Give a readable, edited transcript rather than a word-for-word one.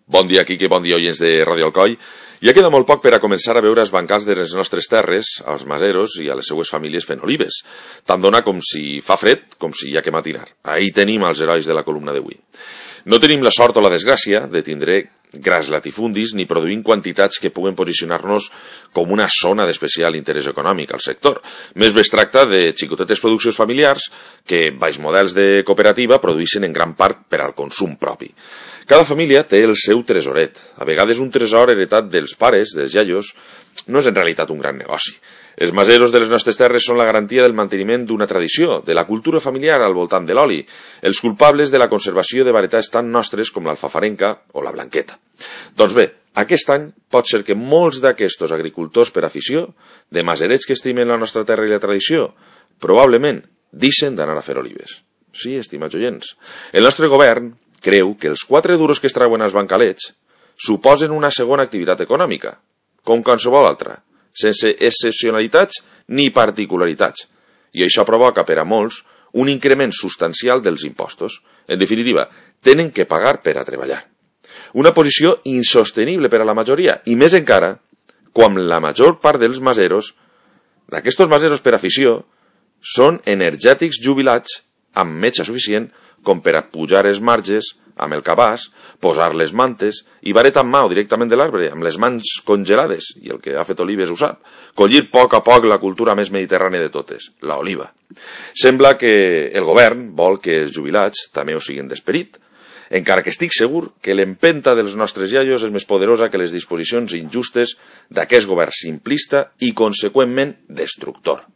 Bon dia, Quique, bon dia, oients de Radio Alcoi. Ja queda molt poc per a començar a veure els bancals de les nostres terres, als maseros i a les seues famílies fent olives. Tant dona com si fa fred, com si hi ha que matinar. Ahí tenim els herois de la columna d'avui. No tenim la sort o la desgràcia de tindre gras latifundis ni produint quantitats que puguen posicionar-nos com una zona d'especial interès econòmic al sector. Més bé es tracta de xicotetes produccions familiars que, baix models de cooperativa, produeixen en gran part per al consum propi. Cada família té el seu tresoret. A vegades un tresor heretat dels pares, dels iaios, no és en realitat un gran negoci. Els maseros de les nostres terres són la garantia del manteniment d'una tradició, de la cultura familiar al voltant de l'oli, els culpables de la conservació de varietats tan nostres com l'alfafarenca o la blanqueta. Doncs bé, aquest any pot ser que molts d'aquestos agricultors per afició, de maserets que estimen la nostra terra i la tradició, probablement deixen d'anar a fer olives. Sí, estimats oients. El nostre govern creu que els 4 duros que es treuen als bancalets suposen una segona activitat econòmica, com qualsevol altra, sense excepcionalitats ni particularitats, i això provoca per a molts un increment substancial dels impostos. En definitiva, tenen que pagar per a treballar. Una posició insostenible per a la majoria, i més encara, quan la major part dels maseros, d'aquestos maseros per afició, són energètics jubilats amb metge suficient com per a pujar els marges amb el cabàs, posar les mantes i vareta en mà o directament de l'arbre, amb les mans congelades, i el que ha fet olives ho sap, collir a poc la cultura més mediterrània de totes, la oliva. Sembla que el govern vol que els jubilats també ho siguin d'esperit, encara que estic segur que l'empenta dels nostres iaios és més poderosa que les disposicions injustes d'aquest govern simplista i conseqüentment destructor.